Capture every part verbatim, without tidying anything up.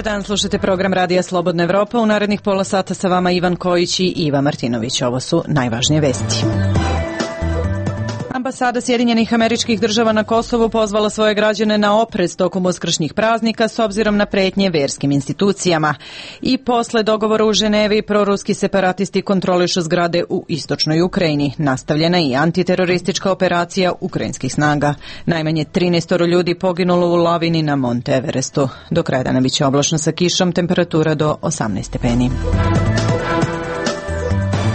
dan, slušate program Radija Slobodna Evropa. U narednih pola sata sa vama Ivan Kojić i Iva Martinović. Ovo su najvažnije vesti. Ambasada Sjedinjenih Američkih Država na Kosovu pozvala svoje građane na oprez tokom uskršnjih praznika s obzirom na pretnje verskim institucijama. I posle dogovora u Ženevi, proruski separatisti kontrolišu zgrade u istočnoj Ukrajini. Nastavljena i antiteroristička operacija ukrajinskih snaga. Najmanje trinaest ljudi poginulo u lavini na Monte Everestu. Do kraja dana biće oblačno sa kišom, temperatura do osamnaest stepeni.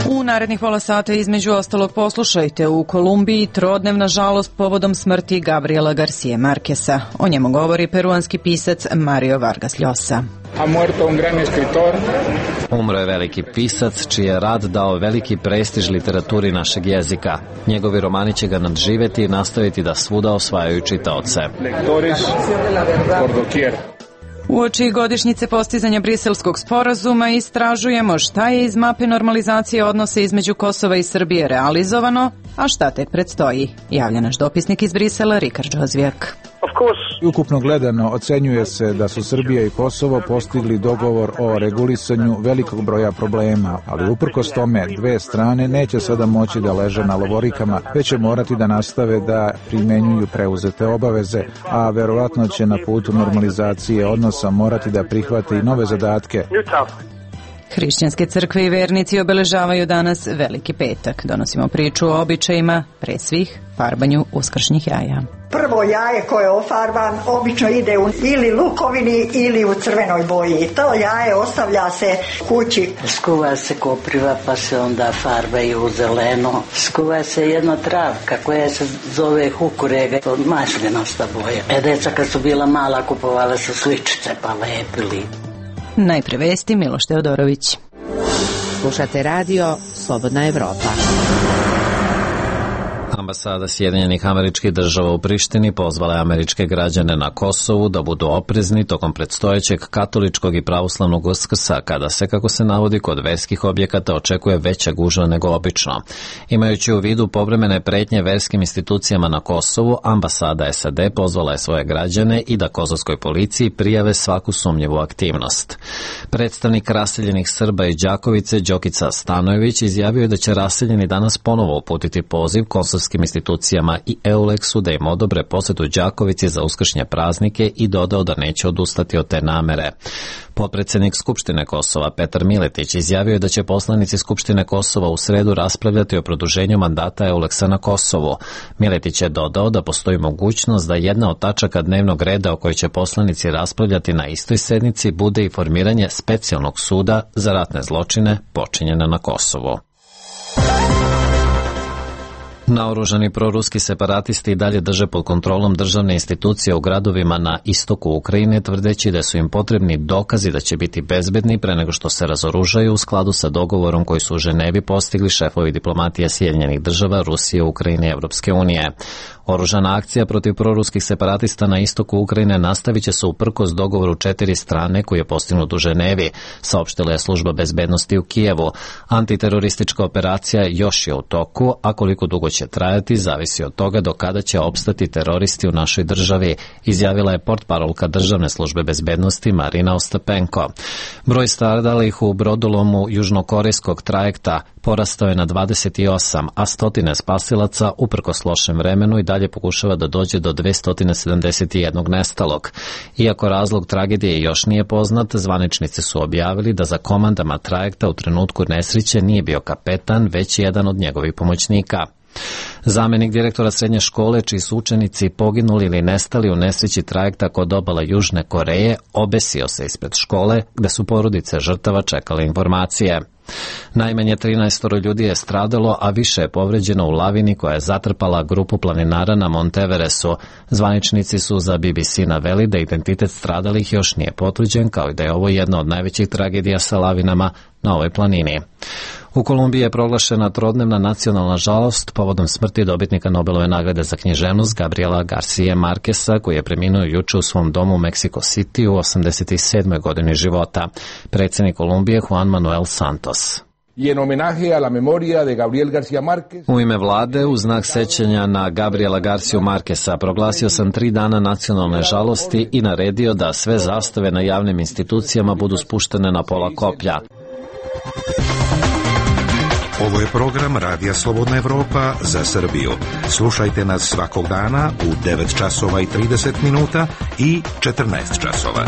U narednih pola sata između ostalog poslušajte: u Kolumbiji trodnevna žalost povodom smrti Gabriela Garcije Markesa. O njemu govori peruanski pisac Mario Vargas Llosa. Umro je veliki pisac čiji je rad dao veliki prestiž literaturi našeg jezika. Njegovi romani će ga nadživeti i nastaviti da svuda osvajaju čitaoce. Uoči godišnjice postizanja Briselskog sporazuma istražujemo šta je iz mape normalizacije odnosa između Kosova i Srbije realizovano, a šta tek predstoji. Javlja naš dopisnik iz Brisela, Rikard Džozvijak. Ukupno gledano, ocenjuje se da su Srbija i Kosovo postigli dogovor o regulisanju velikog broja problema, ali uprkos tome dve strane neće sada moći da leže na lovorikama, već će morati da nastave da primenjuju preuzete obaveze, a verovatno će na putu normalizacije odnosa morati da prihvate i nove zadatke. Hrišćanske crkve i vernici obeležavaju danas Veliki petak. Donosimo priču o običajima, pre svih farbanju uskršnjih jaja. Prvo jaje koje je ofarban obično ide u ili lukovini ili u crvenoj boji. To jaje ostavlja se kući. Skuva se kopriva pa se onda farbaju u zeleno. Skuva se jedna travka koja se zove hukurega, to maslinasta boja. E, deca kad su bila mala kupovala su sličice pa lepili. Najpre vesti, Miloš Teodorović. Slušate radio Slobodna Evropa. Ambasada Sjedinjenih Američkih Država u Prištini pozvala je američke građane na Kosovu da budu oprezni tokom predstojećeg katoličkog i pravoslavnog Uskrsa, kada se, kako se navodi, kod verskih objekata očekuje veća gužva nego obično. Imajući u vidu povremene pretnje verskim institucijama na Kosovu, ambasada S A D pozvala je svoje građane i da kosovskoj policiji prijave svaku sumnjivu aktivnost. Predstavnik raseljenih Srba iz Đakovice, Đokica Stanojević, izjavio je da će raseljeni danas ponovo uputiti poziv kosovskim institucijama i EULEX-u da im odobre posetu Đakovici za uskršnje praznike i dodao da neće odustati od te namere. Potpredsednik Skupštine Kosova Petar Miletić izjavio je da će poslanici Skupštine Kosova u sredu raspravljati o produženju mandata EULEX-a na Kosovu. Miletić je dodao da postoji mogućnost da jedna od tačaka dnevnog reda o kojoj će poslanici raspravljati na istoj sednici bude i formiranje specijalnog suda za ratne zločine počinjene na Kosovu. Naoružani proruski separatisti i dalje drže pod kontrolom državne institucije u gradovima na istoku Ukrajine, tvrdeći da su im potrebni dokazi da će biti bezbedni pre nego što se razoružaju u skladu sa dogovorom koji su u Ženevi postigli šefovi diplomatije Sjedinjenih Država, Rusije, Ukrajine i Evropske unije. Oružana akcija protiv proruskih separatista na istoku Ukrajine nastavit će se uprkos dogovoru četiri strane koji je postignut u Ženevi, saopštila je služba bezbednosti u Kijevu. Antiteroristička operacija još je u toku, a koliko dugo će trajati zavisi od toga do kada će opstati teroristi u našoj državi, izjavila je portparolka državne službe bezbednosti Marina Ostapenko. Broj stradalih u brodolomu južnokorejskog trajekta porastao je na dvadeset osam, a stotine spasilaca uprkos lošem vremenu i dalje pokušava da dođe do dvesta sedamdeset jedan nestalog. Iako razlog tragedije još nije poznat, zvaničnici su objavili da za komandama trajekta u trenutku nesreće nije bio kapetan, već jedan od njegovih pomoćnika. Zamenik direktora srednje škole, čiji su učenici poginuli ili nestali u nesreći trajekta kod obala Južne Koreje, obesio se ispred škole, gde su porodice žrtava čekale informacije. Najmanje trinaest ljudi je stradalo, a više je povređeno u lavini koja je zatrpala grupu planinara na Monte Everestu. Zvaničnici su za B B C naveli da identitet stradalih još nije potvrđen, kao i da je ovo jedna od najvećih tragedija sa lavinama na ovoj planini. U Kolumbiji je proglašena trodnevna nacionalna žalost povodom smrti dobitnika Nobelove nagrade za književnost Gabriela Garcije Markesa, koji je preminuo juče u svom domu u Mexico City u osamdeset sedmoj godini života. Predsjednik Kolumbije Juan Manuel Santos. U ime vlade, u znak sećanja na Gabriela Garciju Markesa, proglasio sam tri dana nacionalne žalosti i naredio da sve zastave na javnim institucijama budu spuštene na pola koplja. Ovo je program Radija Slobodna Evropa za Srbiju. Slušajte nas svakog dana u devet časova i trideset minuta i četrnaest časova.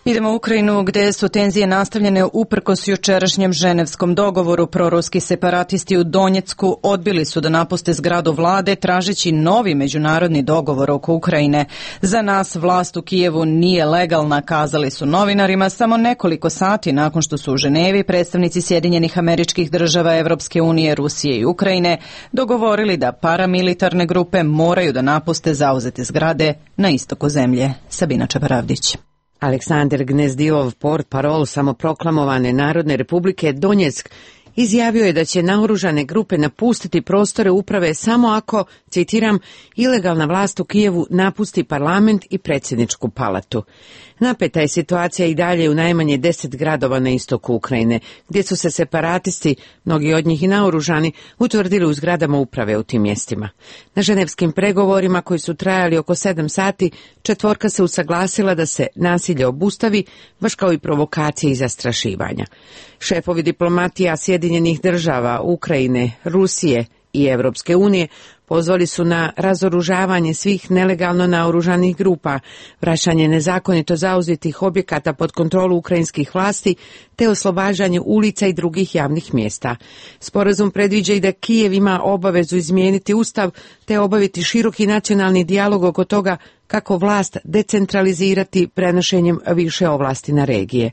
Idemo u Ukrajinu gde su tenzije nastavljene uprkos jučerašnjem ženevskom dogovoru. Proruski separatisti u Donjecku odbili su da napuste zgradu vlade tražeći novi međunarodni dogovor oko Ukrajine. Za nas vlast u Kijevu nije legalna, kazali su novinarima samo nekoliko sati nakon što su u Ženevi predstavnici Sjedinjenih Američkih Država, Evropske unije, Rusije i Ukrajine dogovorili da paramilitarne grupe moraju da napuste zauzete zgrade na istoku zemlje. Sabina Čeparavdić. Aleksandar Gnezdilov, portparol samoproklamovane Narodne republike Donjeck, izjavio je da će naoružane grupe napustiti prostore uprave samo ako, citiram, ilegalna vlast u Kijevu napusti parlament i predsjedničku palatu. Napeta je situacija i dalje u najmanje deset gradova na istoku Ukrajine, gdje su se separatisti, mnogi od njih i naoružani, utvrdili u zgradama uprave u tim mjestima. Na ženevskim pregovorima koji su trajali oko sedam sati, četvorka se usaglasila da se nasilje obustavi, baš kao i provokacije i zastrašivanja. Šefovi diplomatija Sjedinjenih Država, Ukrajine, Rusije i Evropske unije pozvali su na razoružavanje svih nelegalno naoružanih grupa, vraćanje nezakonito zauzetih objekata pod kontrolu ukrajinskih vlasti te oslobađanje ulica i drugih javnih mjesta. Sporazum predviđa i da Kijev ima obavezu izmijeniti ustav te obaviti široki nacionalni dijalog oko toga kako vlast decentralizirati prenošenjem više ovlasti na regije.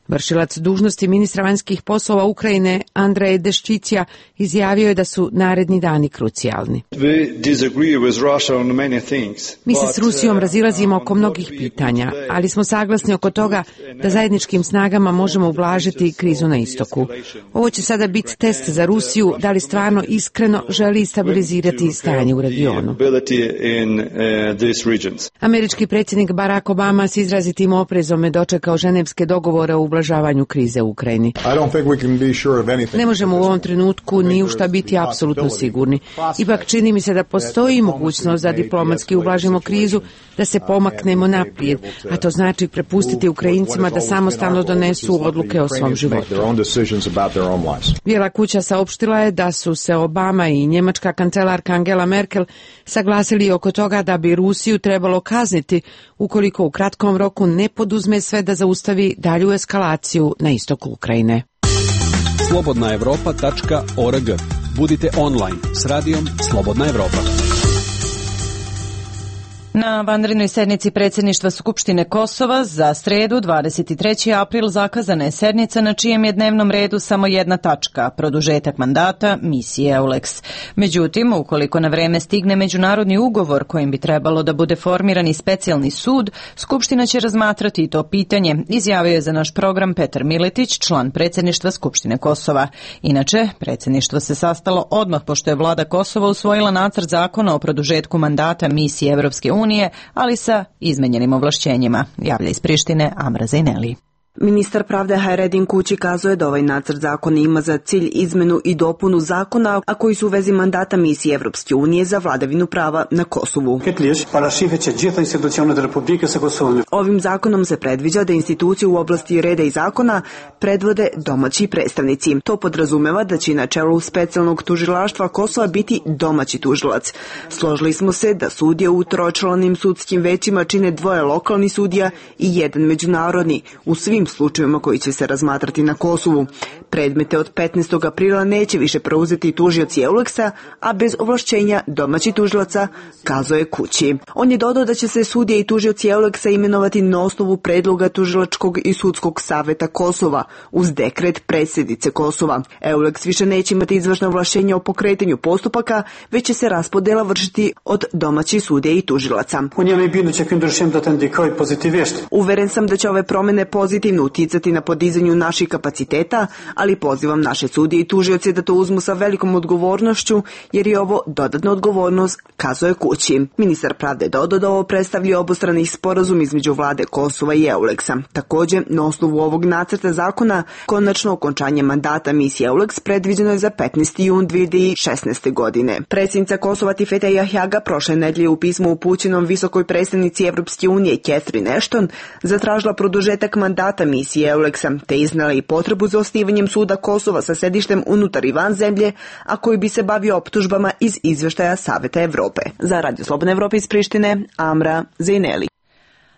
Vršilac dužnosti ministra vanjskih poslova Ukrajine Andrej Deščicija izjavio je da su naredni dani krucijalni. Mi se s Rusijom razilazimo oko mnogih pitanja, ali smo saglasni oko toga da zajedničkim snagama možemo ublažiti krizu na istoku. Ovo će sada biti test za Rusiju da li stvarno iskreno želi stabilizirati stanje u regionu. Američki predsjednik Barack Obama s izrazitim oprezom je dočekao ženevske dogovore o ublažavanju krize u Ukrajini. Ne možemo u ovom trenutku ni u šta biti apsolutno sigurni. Ipak čini mi se da postoji mogućnost da diplomatski ublažimo krizu, da se pomaknemo naprijed, a to znači prepustiti Ukrajincima da samostalno donesu odluke o svom životu. Bijela kuća saopštila je da su se Obama i njemačka kancelarka Angela Merkel saglasili oko toga da bi Rusiju trebalo kazniti ukoliko u kratkom roku ne poduzme sve da zaustavi dalju eskalaciju na istoku Ukrajine. slobodna evropa tačka org. Budite online s radijom Slobodna Evropa. Na vanrednoj sednici predsjedništva Skupštine Kosova za sredu dvadeset treći april zakazana je sednica na čijem je dnevnom redu samo jedna tačka, produžetak mandata misije EULEX. Međutim, ukoliko na vreme stigne međunarodni ugovor kojim bi trebalo da bude formirani specijalni sud, Skupština će razmatrati i to pitanje, izjavio je za naš program Petar Miletić, član predsjedništva Skupštine Kosova. Inače, predsjedništvo se sastalo odmah pošto je vlada Kosova usvojila nacrt zakona o produžetku mandata misije Evropske unije, ali sa izmenjenim ovlašćenjima, javlja iz Prištine Amra Zejneli. Ministar pravde Hajredin Kući kazuje da ovaj nacrt zakona ima za cilj izmenu i dopunu zakona, a koji su u vezi mandata misije Evropske unije za vladavinu prava na Kosovu. Ovim zakonom se predviđa da institucije u oblasti reda i zakona predvode domaći predstavnici. To podrazumeva da će na čelu specijalnog tužilaštva Kosova biti domaći tužilac. Složili smo se da sudije u tročlanim sudskim većima čine dvoje lokalni sudija i jedan međunarodni, u svim slučajevima koji će se razmatrati na Kosovu. Predmete od petnaestog aprila neće više preuzeti tužioci EULEX-a, a bez ovlašćenja domaći tužilaca, kazuje Kući. On je dodao da će se sudije i tužioci EULEX-a imenovati na osnovu predloga tužilačkog i sudskog saveta Kosova, uz dekret predsjednice Kosova. EULEX više neće imati izvršna ovlašćenja o pokretanju postupaka, već će se raspodela vršiti od domaćih sudija i tužilaca. Uveren sam da će ove promjene pozitivno ozbiljno uticati na podizanju naših kapaciteta, ali pozivam naše sudije i tužioce da to uzmu sa velikom odgovornošću, jer je ovo dodatna odgovornost, kazuje kući. Ministar pravde dodao da ovo predstavlja obostrani sporazum između vlade Kosova i Euleksa. Također, na osnovu ovog nacrta zakona, konačno okončanje mandata misije Euleks predviđeno je za petnaesti jun dve hiljade šesnaeste. godine. Predsjednica Kosova Tifeta Jahjaga prošle nedelje u pismu upućenom visokoj predstavnici Evropske unije Catherine Ashton zatražila produžetak mandata misije Euleksa, te iznala i potrebu za osnivanjem suda Kosova sa sedištem unutar i van zemlje, a koji bi se bavio optužbama iz izveštaja Saveta Evrope. Za Radio Slobodne Evrope iz Prištine, Amra Zejneli.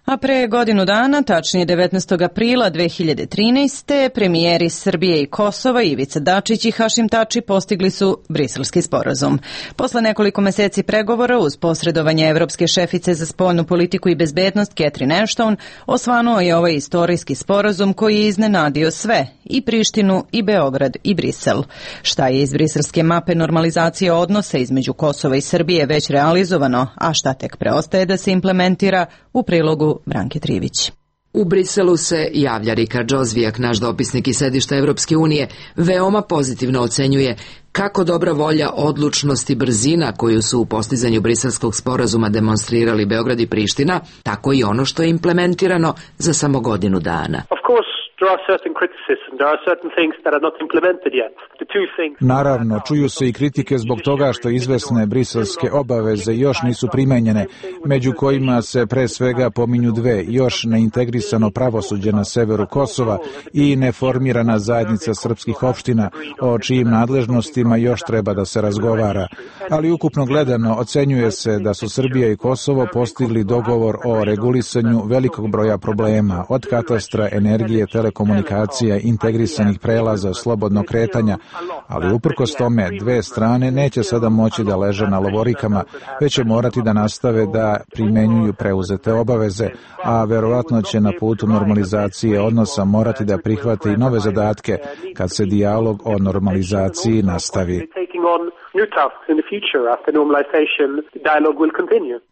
A pre godinu dana, tačnije devetnaestog aprila dve hiljade trinaeste. premijeri Srbije i Kosova Ivica Dačić i Hašim Tači postigli su Briselski sporazum. Posle nekoliko meseci pregovora uz posredovanje evropske šefice za spoljnu politiku i bezbednost Catherine Ashton osvanuo je ovaj istorijski sporazum koji je iznenadio sve, i Prištinu, i Beograd, i Brisel. Šta je iz briselske mape normalizacije odnosa između Kosova i Srbije već realizovano, a šta tek preostaje da se implementira, u prilogu Branke Trivić. U Briselu se javlja Rikard Džozvijak, naš dopisnik iz sedišta Evropske unije, veoma pozitivno ocenjuje kako dobra volja, odlučnost i brzina koju su u postizanju briselskog sporazuma demonstrirali Beograd i Priština, tako i ono što je implementirano za samo godinu dana. Naravno, čuju se i kritike zbog toga što izvesne briselske obaveze još nisu primenjene, među kojima se pre svega pominju dve, još neintegrisano pravosuđe na severu Kosova i neformirana zajednica srpskih opština, o čijim nadležnostima još treba da se razgovara. Ali ukupno gledano, ocenjuje se da su Srbija i Kosovo postigli dogovor o regulisanju velikog broja problema, od katastra, energije, telekomunikacija, integrisanih prelaza, slobodnog kretanja, ali uprkos tome dve strane neće sada moći da leže na lovorikama, već će morati da nastave da primenjuju preuzete obaveze, a verovatno će na putu normalizacije odnosa morati da prihvate i nove zadatke kad se dijalog o normalizaciji nastavi.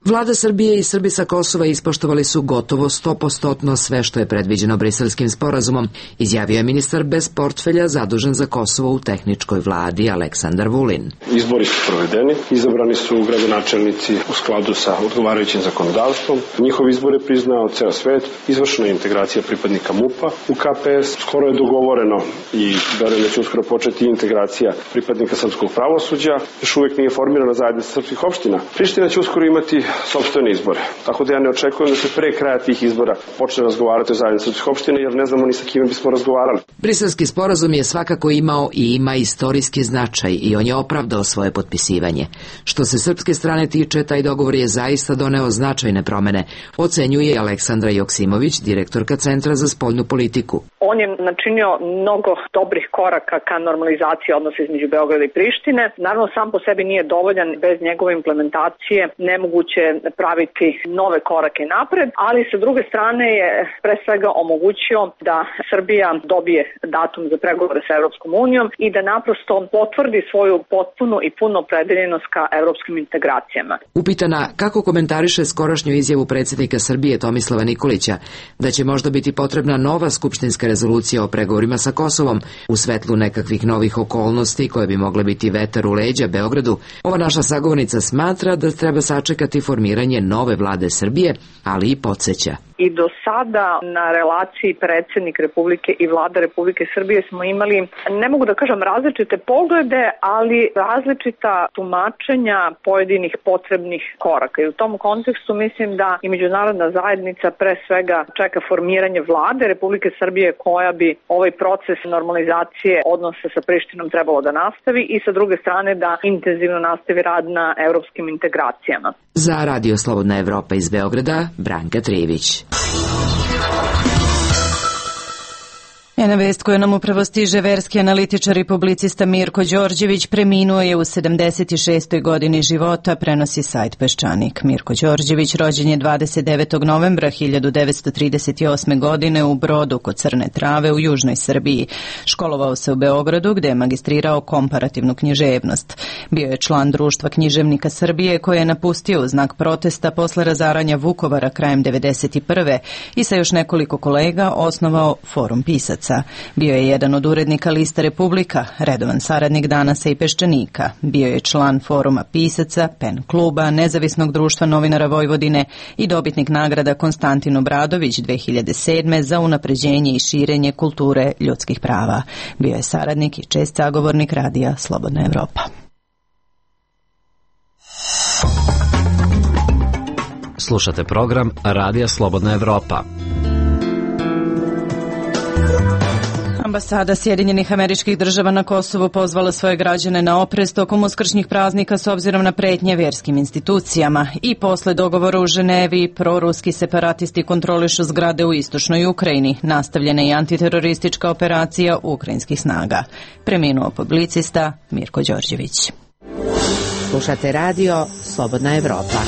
Vlada Srbije i Srbi sa Kosova ispoštovali su gotovo sto posto sve što je predviđeno Briselskim sporazumom, izjavio je ministar bez portfelja zadužen za Kosovo u tehničkoj vladi Aleksandar Vulin. Izbori su provedeni, izabrani su gradonačelnici u skladu sa odgovarajućim zakonodavstvom. Njihov izbor je priznao ceo svet, izvršena je integracija pripadnika MUP-a u K P S, skoro je dogovoreno i verujem da će uskoro početi integracija pripadnika srpskog pravosuđa. Još uvijek nije formirana zajednica srpskih opština. Priština će uskoro imati sopstvene izbore, tako da ja ne očekujem da se pre kraja tih izbora počne razgovarati o zajednici srpskih opština, jer ne znamo ni sa kime bismo razgovarali. Briselski sporazum je svakako imao i ima istorijski značaj i on je opravdao svoje potpisivanje. Što se srpske strane tiče, taj dogovor je zaista doneo značajne promene, ocenjuje Aleksandra Joksimović, direktorka Centra za spoljnu politiku. On je načinio mnogo dobrih koraka ka normalizaciji odnosa između Beograda i Prištine. Naravno, sam po sebi nije dovoljan, bez njegove implementacije nemoguće praviti nove korake napred, ali sa druge strane je pre svega omogućio da Srbija dobije datum za pregovore sa Evropskom unijom i da naprosto potvrdi svoju potpunu i punu opredeljenost ka evropskim integracijama. Upitana kako komentariše skorašnju izjavu predsjednika Srbije Tomislava Nikolića da će možda biti potrebna nova skupštinska rezolucija o pregovorima sa Kosovom u svetlu nekakvih novih okolnosti koje bi mogle biti vetar u leđa Beogradu, ova naša sagovornica smatra da treba sačekati formiranje nove vlade Srbije, ali i podsjeća. I do sada na relaciji predsjednik Republike i vlada Republike Srbije smo imali, ne mogu da kažem različite poglede, ali različita tumačenja pojedinih potrebnih koraka. I u tom kontekstu mislim da i međunarodna zajednica pre svega čeka formiranje vlade Republike Srbije koja bi ovaj proces normalizacije odnosa sa Prištinom trebalo da nastavi i sa druge strane da intenzivno nastavi rad na evropskim integracijama. Za Radio Slobodna Evropa iz Beograda, Branka Trivić. Sjajna vest koju nam upravo stiže. Verski analitičar i publicista Mirko Đorđević preminuo je u sedamdeset šestoj godini života, prenosi sajt Peščanik. Mirko Đorđević rođen je dvadeset devetog novembra hiljadu devetsto trideset osme. godine u Brodu kod Crne Trave u južnoj Srbiji. Školovao se u Beogradu gde je magistrirao komparativnu književnost. Bio je član Društva književnika Srbije koje je napustio u znak protesta posle razaranja Vukovara krajem devedeset prve. i sa još nekoliko kolega osnovao Forum pisaca. Bio je jedan od urednika Lista Republika, redovan saradnik Danasa i Peščanika. Bio je član Foruma pisaca, Pen kluba, Nezavisnog društva novinara Vojvodine i dobitnik nagrada Konstantin Obradović dve hiljade sedme. za unapređenje i širenje kulture ljudskih prava. Bio je saradnik i čest sagovornik radija Slobodna Evropa. Slušate program Radija Slobodna Evropa. Ambasada Sjedinjenih Američkih Država na Kosovu pozvala svoje građane na oprez tokom uskršnjih praznika s obzirom na pretnje vjerskim institucijama. I posle dogovora u Ženevi, proruski separatisti kontrolišu zgrade u istočnoj Ukrajini. Nastavljena je antiteroristička operacija ukrajinskih snaga. Preminuo publicista Mirko Đorđević. Slušate radio Slobodna Evropa.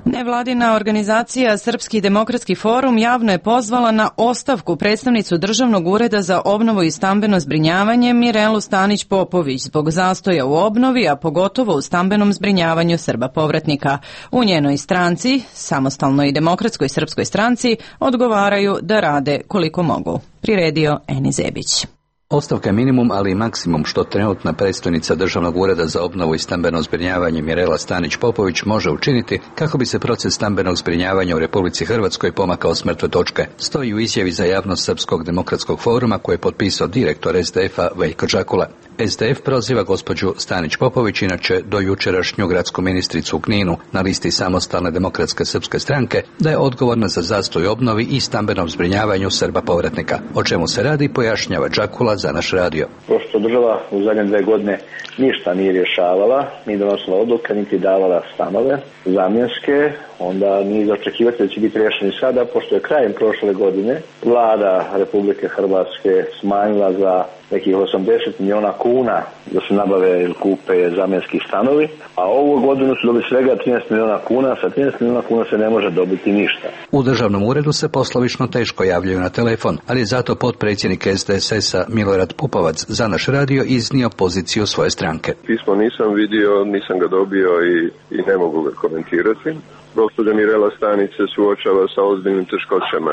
Nevladina organizacija Srpski demokratski forum javno je pozvala na ostavku predstavnicu Državnog ureda za obnovu i stambeno zbrinjavanje Mirelu Stanić-Popović zbog zastoja u obnovi, a pogotovo u stambenom zbrinjavanju Srba povratnika. U njenoj stranci, Samostalnoj i demokratskoj srpskoj stranci, odgovaraju da rade koliko mogu. Priredio Eni Zebić. Ostavka je minimum, ali i maksimum što trenutna predstojnica Državnog ureda za obnovu i stambeno zbrinjavanje Mirela Stanić-Popović može učiniti kako bi se proces stambenog zbrinjavanja u Republici Hrvatskoj pomakao s mrtve točke. Stoji u izjavi za javnost Srpskog demokratskog foruma koje je potpisao direktor es de efa Veljko Džakula. es de ef proziva gospođu Stanić-Popović, inače do jučerašnju gradsku ministricu u Kninu na listi Samostalne demokratske srpske stranke, da je odgovorna za zastoj obnovi i stambenom zbrinjavanju Srba povratnika. O čemu se radi, pojašnjava Džakula za naš radio. Pošto država u zadnje dve godine ništa nije rješavala, ni donosila odluke, niti davala stanove zamjenske, onda nije za očekivati da će biti rješeni sada, pošto je krajem prošle godine vlada Republike Hrvatske smanjila za nekih osamdeset miliona kuna da se nabave ili kupe zamjenski stanovi, a ovu godinu su dobili svega trinaest miliona kuna, sa trinaest miliona kuna se ne može dobiti ništa. U Državnom uredu se poslovično teško javljaju na telefon, ali je zato potpredsjednik es de es es-a Milorad Pupovac za naš radio iznio poziciju svoje stranke. Pismo nisam vidio, nisam ga dobio i, i ne mogu ga komentirati. Gospođa Mirela Stanić se suočava sa ozbiljnim teškoćama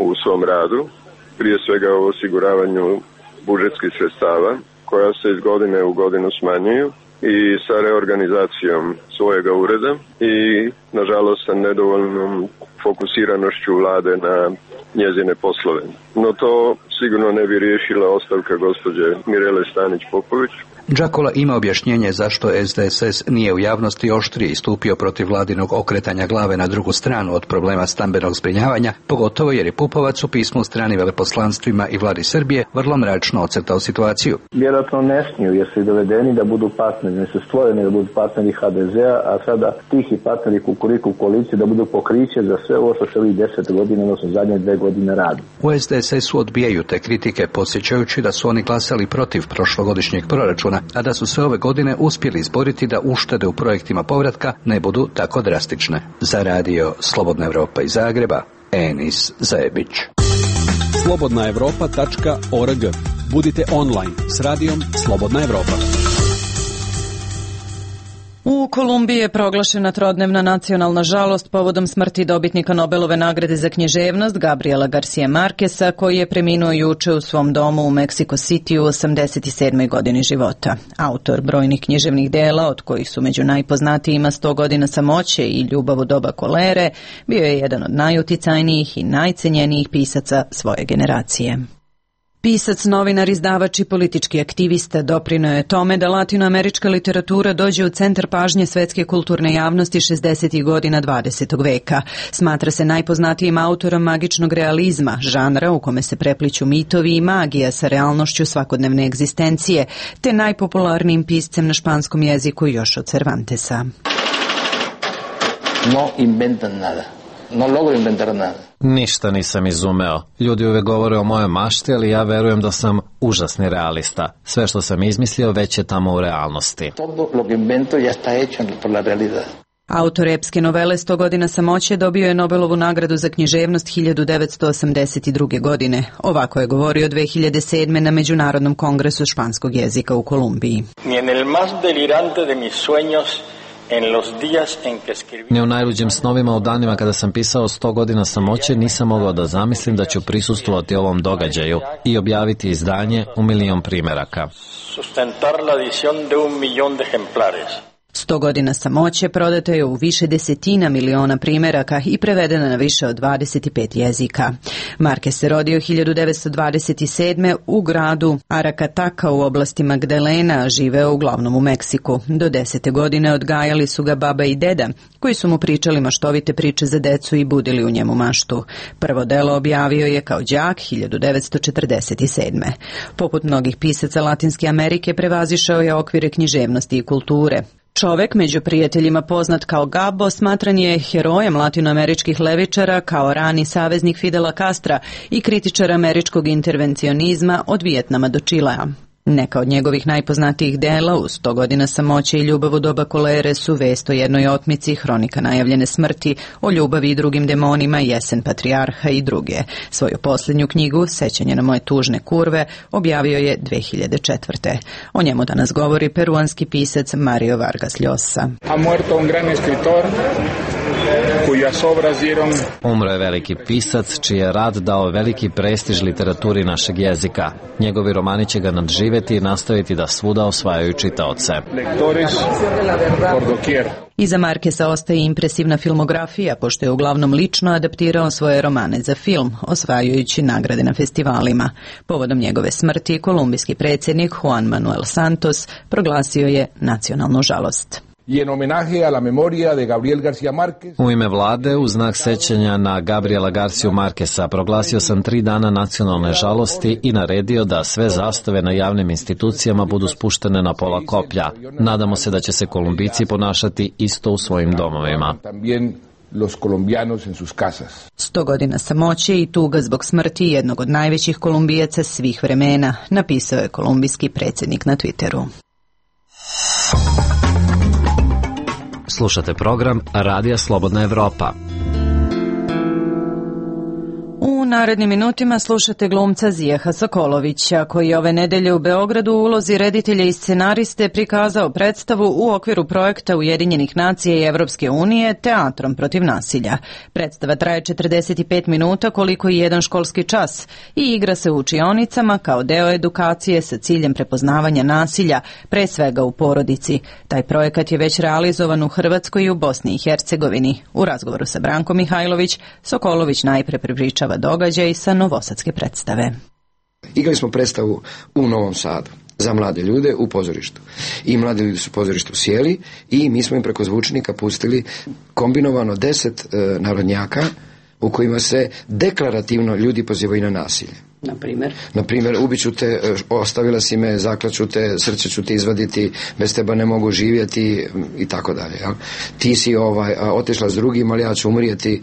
u svom radu, prije svega u osiguravanju budžetskih sredstava koja se iz godine u godinu smanjuju i sa reorganizacijom svojega ureda i nažalost sa nedovoljnom fokusiranošću vlade na njezine poslove. No to sigurno ne bi riješila ostavka gospođe Mirele Stanić-Popović. Džakula ima objašnjenje zašto es de es es nije u javnosti oštrije istupio protiv vladinog okretanja glave na drugu stranu od problema stambenog zbrinjavanja, pogotovo jer je Pupovac u pismu strani veleposlanstvima i vladi Srbije vrlo mračno ocrtao situaciju. Vjerojatno ne smiju jer su dovedeni da budu partneri, ne su stvoreni da budu partneri ha de zea, a sada tihi partneri Kukuriku koalicije da budu pokriće za sve ovo što se ovih deset godina, odnosno zadnje dve godine radi. U es de es es-u odbijaju te kritike, podsjećajući da su oni glasali protiv prošlogodišnjeg proračuna, a da su se ove godine uspjeli izboriti da uštede u projektima povratka ne budu tako drastične. Za radio Slobodna Evropa iz Zagreba, Enis Zajebić. slobodna evropa tačka org. Budite online s radijom Slobodna Evropa. U Kolumbiji je proglašena trodnevna nacionalna žalost povodom smrti dobitnika Nobelove nagrade za književnost Gabriela Garcia Marquesa, koji je preminuo juče u svom domu u Mexico City u osamdeset sedmoj godini života. Autor brojnih književnih dela, od kojih su među najpoznatijima sto godina samoće i Ljubav u doba kolere, bio je jedan od najuticajnijih i najcenjenijih pisaca svoje generacije. Pisac, novinar, izdavač i politički aktivista doprineo je tome da latinoamerička literatura dođe u centar pažnje svetske kulturne javnosti šezdesetih godina dvadesetog veka. Smatra se najpoznatijim autorom magičnog realizma, žanra u kome se prepliću mitovi i magija sa realnošću svakodnevne egzistencije, te najpopularnijim piscem na španskom jeziku još od Cervantesa. No inventan nada. no logro inventar nada. Ništa nisam izumeo. Ljudi uvek govore o mojoj mašti, ali ja verujem da sam užasni realista. Sve što sam izmislio već je tamo u realnosti. Todo lo que invento ya está hecho por la realidad. Autor epske novele sto godina samoće dobio je Nobelovu nagradu za književnost hiljadu devetsto osamdeset druge. godine. Ovako je govorio dve hiljade sedme. na Međunarodnom kongresu španskog jezika u Kolumbiji. Ni en el más delirante de mis sueños, en los días en que escribí... Ni u najluđim snovima u danima kada sam pisao sto godina samoće nisam mogao da zamislim da ću prisustvovati ovom događaju i objaviti izdanje u milion primeraka. Sustentar la edición de un millón de ejemplares. Sto godina samoće prodato je u više desetina miliona primeraka i prevedeno na više od dvadeset pet jezika. Marquez se rodio hiljadu devetsto dvadeset sedme. u gradu Aracataca u oblasti Magdalena, a živeo uglavnom u Meksiku. Do desete godine odgajali su ga baba i deda, koji su mu pričali maštovite priče za decu i budili u njemu maštu. Prvo delo objavio je kao đak hiljadu devetsto četrdeset sedme. Poput mnogih pisaca Latinske Amerike prevazišao je okvire književnosti i kulture. Čovek, među prijateljima poznat kao Gabo, smatran je herojem latinoameričkih levičara, kao rani saveznik Fidela Castra i kritičar američkog intervencionizma od Vijetnama do Čilea. Neka od njegovih najpoznatijih dela u sto godina samoće i ljubav u doba kolere su Vest o jednoj otmici, Hronika najavljene smrti, O ljubavi i drugim demonima, Jesen patrijarha i druge. Svoju posljednju knjigu, Sećanje na moje tužne kurve, objavio je dve hiljade četvrte. O njemu danas govori peruanski pisac Mario Vargas Llosa. Ha muerto un gran escritor cujas obras dieron... Umro je veliki pisac čiji je rad dao veliki prestiž literaturi našeg jezika. Njegovi romani će ga nadživeti i nastaviti da svuda osvajaju čitaoce. Iza Marqueza ostaje impresivna filmografija, pošto je uglavnom lično adaptirao svoje romane za film, osvajajući nagrade na festivalima. Povodom njegove smrti, kolumbijski predsjednik Juan Manuel Santos proglasio je nacionalnu žalost. I en homenaje a la memoria de Gabriel García Márquez. U ime vlade, u znak sećanja na Gabriela Garciju Markesa, proglasio sam tri dana nacionalne žalosti i naredio da sve zastave na javnim institucijama budu spuštene na pola koplja. Nadamo se da će se Kolumbijci ponašati isto u svojim domovima. Los colombianos en sus casas. Sto godina samoće i tuga zbog smrti jednog od najvećih Kolumbijaca svih vremena, napisao je kolumbijski predsjednik na Twitteru. Slušate program Radija Slobodna Evropa. U narednim minutima slušate glumca Zijeha Sokolovića, koji ove nedelje u Beogradu u ulozi reditelja i scenariste prikazao predstavu u okviru projekta Ujedinjenih nacija i Evropske unije Teatrom protiv nasilja. Predstava traje četrdeset pet minuta, koliko i jedan školski čas, i igra se u učionicama kao deo edukacije sa ciljem prepoznavanja nasilja, pre svega u porodici. Taj projekat je već realizovan u Hrvatskoj i u Bosni i Hercegovini. U razgovoru sa Brankom Mihajlović, Sokolović najpre prepričava događaj sa novosadske predstave. Igrali smo predstavu u Novom Sadu za mlade ljude u pozorištu. I mladi ljudi su u pozorištu sjeli i mi smo im preko zvučnika pustili kombinovano deset e, narodnjaka u kojima se deklarativno ljudi pozivaju na nasilje. Na primjer? Na primjer, ubiću te, ostavila si me, zaklaću te, srce ću ti izvaditi, bez teba ne mogu živjeti i tako dalje. Ti si ovaj, otišla s drugim, ali ja ću umrijeti.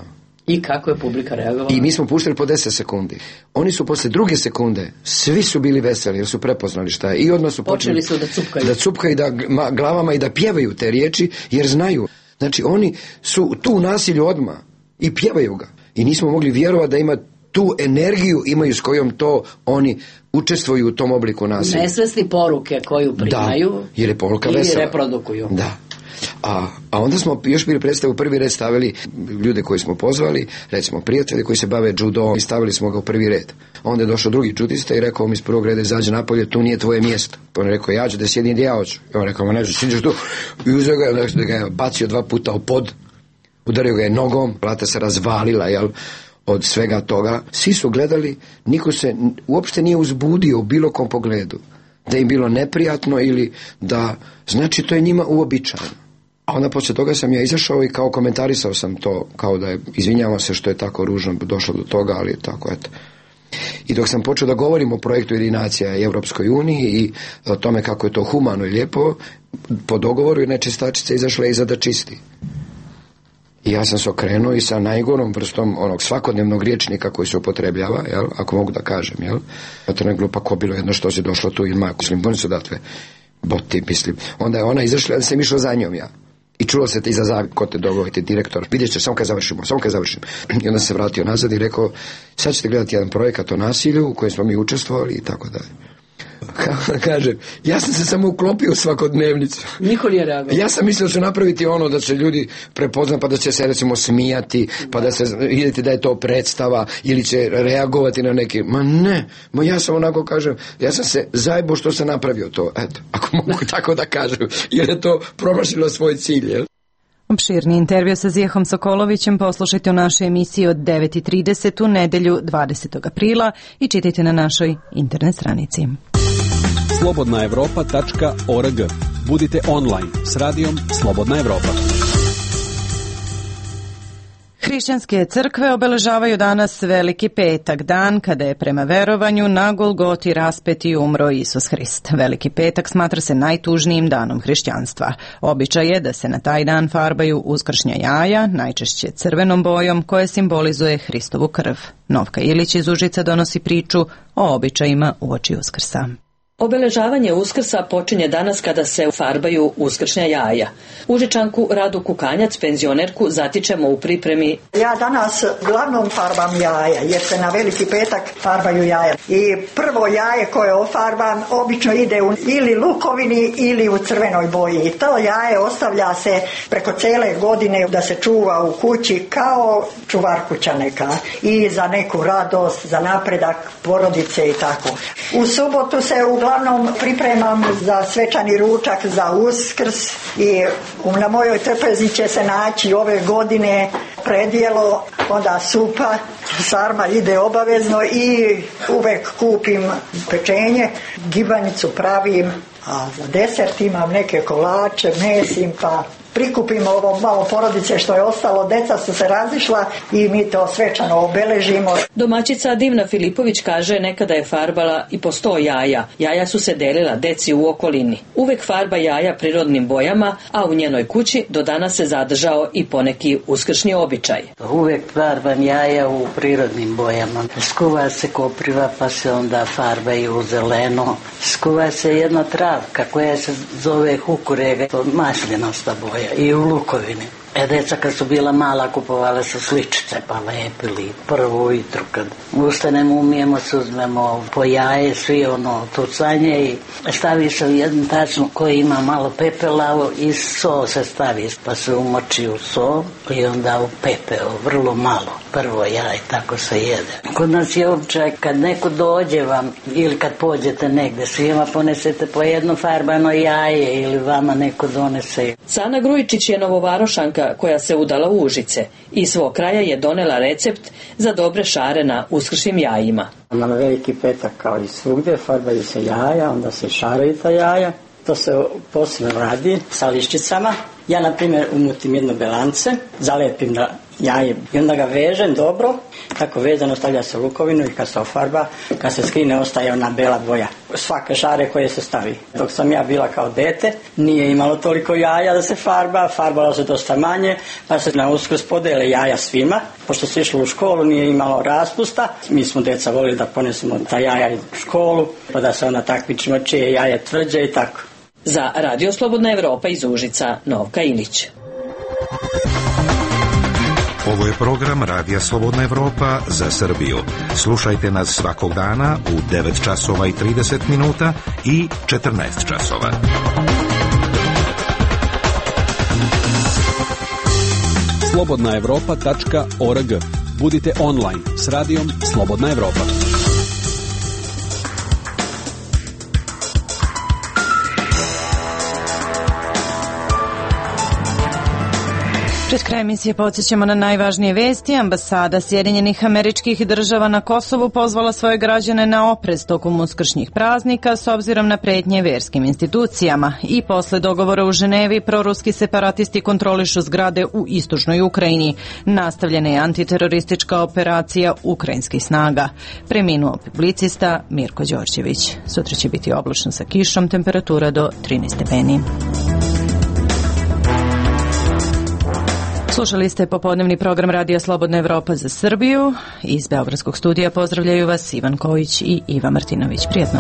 I kako je publika reagovala? I mi smo puštali po deset sekundi. Oni su posle druge sekunde, svi su bili veseli jer su prepoznali šta je. I odmah su počeli, počeli su da cupkaju. Da cupkaju da glavama i da pjevaju te riječi jer znaju. Znači oni su tu u nasilju odmah i pjevaju ga. I nismo mogli vjerovati da ima tu energiju imaju s kojom to oni učestvuju u tom obliku nasilja. Nesvesni poruke koju primaju. Da, jer je poruka ili vesela. reprodukuju. Da. A, a onda smo još bili predstavu prvi red stavili ljude koji smo pozvali, recimo prijatelji koji se bave judom i stavili smo ga u prvi red. Onda je došao drugi judista i rekao mi iz prvog reda izađe napolje, tu nije tvoje mjesto. Pa on je rekao ja ću da sjedim gdje ja hoću. I on rekao ma ne, siđeš tu. I uzeo ga, da ga je bacio dva puta u pod, udario ga je nogom, plata se razvalila, jel, od svega toga. Svi su gledali, niko se uopšte nije uzbudio u bilo kom pogledu. Da im bilo neprijatno ili da, znači to je njima uobičajeno. A onda poslije toga sam ja izašao i kao komentarisao sam to, kao da je, izvinjavam se što je tako ružno došlo do toga, ali tako eto. I dok sam počeo da govorim o projektu Ujedinjenih nacija i Evropskoj uniji i o tome kako je to humano i lijepo, po dogovoru je nečistačica izašla iza da čisti. I ja sam se okrenuo i sa najgorom vrstom onog svakodnevnog riječnika koji se upotrebljava, jel, ako mogu da kažem, jel, to ne glupa ko bilo jedno što si došlo tu ili mako, mislim, oni su datve boti, mislim. Onda je ona izašla, da sam išao za njom ja. I čulo se te iza zavi, ko te dogovojite, direktor, vidjet će, samo kad završimo, samo kad završim. I onda se vratio nazad i rekao, sad ćete gledati jedan projekat o nasilju u kojem smo mi učestvovali i tako dalje. Kažem, ja sam se samo uklopio u svakodnevnicu. Niko nije reagovao. Ja sam mislio da će napraviti ono da će ljudi prepoznati, pa da će se recimo smijati, pa da se vidjeti da je to predstava ili će reagovati na neki. Ma ne, ma ja sam onako kažem, ja sam se zajebo što sam napravio to, eto, ako mogu tako da kažem, jer je to promašilo svoj cilj, jel? Opširni intervju sa Zijehom Sokolovićem poslušajte u našoj emisiji od devet i trideset u nedelju dvadesetog aprila i čitajte na našoj internet stranici. slobodna evropa tačka org. Budite online s radijom Slobodna Evropa. Hrišćanske crkve obeležavaju danas Veliki petak, dan kada je prema verovanju na Golgoti raspet i umro Isus Hrist. Veliki petak smatra se najtužnijim danom hrišćanstva. Običaj je da se na taj dan farbaju uskršnja jaja, najčešće crvenom bojom, koje simbolizuje Hristovu krv. Novka Ilić iz Užica donosi priču o običajima uoči Uskrsa. Obeležavanje Uskrsa počinje danas kada se farbaju uskršnja jaja. Užičanku Radu Kukanjac, penzionerku, zatičemo u pripremi. Ja danas uglavnom farbam jaja, jer se na Veliki petak farbaju jaja. I prvo jaje koje ofarbam obično ide u ili lukovini ili u crvenoj boji. I to jaje ostavlja se preko cele godine da se čuva u kući kao čuvar kuća neka. I za neku radost, za napredak porodice i tako. U subotu se uglavnom Uglavnom pripremam za svečani ručak za Uskrs i na mojoj trpezi će se naći ove godine predjelo, onda supa, sarma ide obavezno i uvek kupim pečenje, gibanicu pravim, a za desert imam neke kolače, mesim, pa prikupimo ovo malo porodice što je ostalo, deca su se razišla i mi to svečano obeležimo. Domaćica Divna Filipović kaže nekada je farbala i po sto jaja. Jaja su se delila deci u okolini. Uvek farba jaja prirodnim bojama, a u njenoj kući do danas se zadržao i poneki uskršnji običaj. Uvek farbam jaja u prirodnim bojama. Skuva se kopriva pa se onda farbaju u zeleno. Skuva se jedna travka koja se zove hukurega, to maslinosta boja. I u lukovini. E, deca kad su bila mala kupovale su sličice pa lepili prvo ujutru kad ustanemo, umijemo se, uzmemo po jaje, svi ono tucanje i stavi se u jednu tačnu koji ima malo pepela i so se stavi pa se umoči u so i onda u pepeo, vrlo malo prvo jaje, tako se jede. Kod nas je običaj kad neko dođe vam ili kad pođete negde, svima ponesete po jedno farbano jaje ili vama neko donese. Sana Grujičić je novovarošanka koja se udala u Užice. Iz svog kraja je donela recept za dobre šare na uskršnjim jajima. Na Veliki petak kao i svugdje farbaju se jaja, onda se šaraju ta jaja. To se posebno radi sa lišćicama. Ja, na primjer, umutim jedno belance, zalepim na jaje i onda ga vežem dobro. Tako vezano stavlja se lukovinu i kad se ofarba, kad se skrine ostaje ona bela boja. Svake šare koje se stavi. Dok sam ja bila kao dete, nije imalo toliko jaja da se farba, farbalo se dosta manje, pa se na Uskrs podele jaja svima. Pošto se išlo u školu, nije imalo raspusta. Mi smo deca volili da ponesemo ta jaja u školu, pa da se onda takmičimo čije jaje tvrđe i tako. Za Radio Slobodna Evropa iz Užica, Novka Ilić. Ovo je program Radija Slobodna Evropa za Srbiju. Slušajte nas svakog dana u devet časova i trideset minuta i četrnaest časova. slobodna evropa tačka org. Budite online s radijom Slobodna Evropa. Pred kraj emisije podsjećamo na najvažnije vesti. Ambasada Sjedinjenih Američkih Država na Kosovu pozvala svoje građane na oprez tokom uskršnjih praznika s obzirom na pretnje verskim institucijama. I posle dogovora u Ženevi, proruski separatisti kontrolišu zgrade u istočnoj Ukrajini. Nastavljena je antiteroristička operacija ukrajinskih snaga. Preminuo publicista Mirko Đorđević. Sutra će biti oblačno sa kišom, temperatura do trinaest stepeni. Slušali ste popodnevni program Radija Slobodna Evropa za Srbiju. Iz Beogradskog studija pozdravljaju vas Ivan Kojić i Iva Martinović. Prijetno.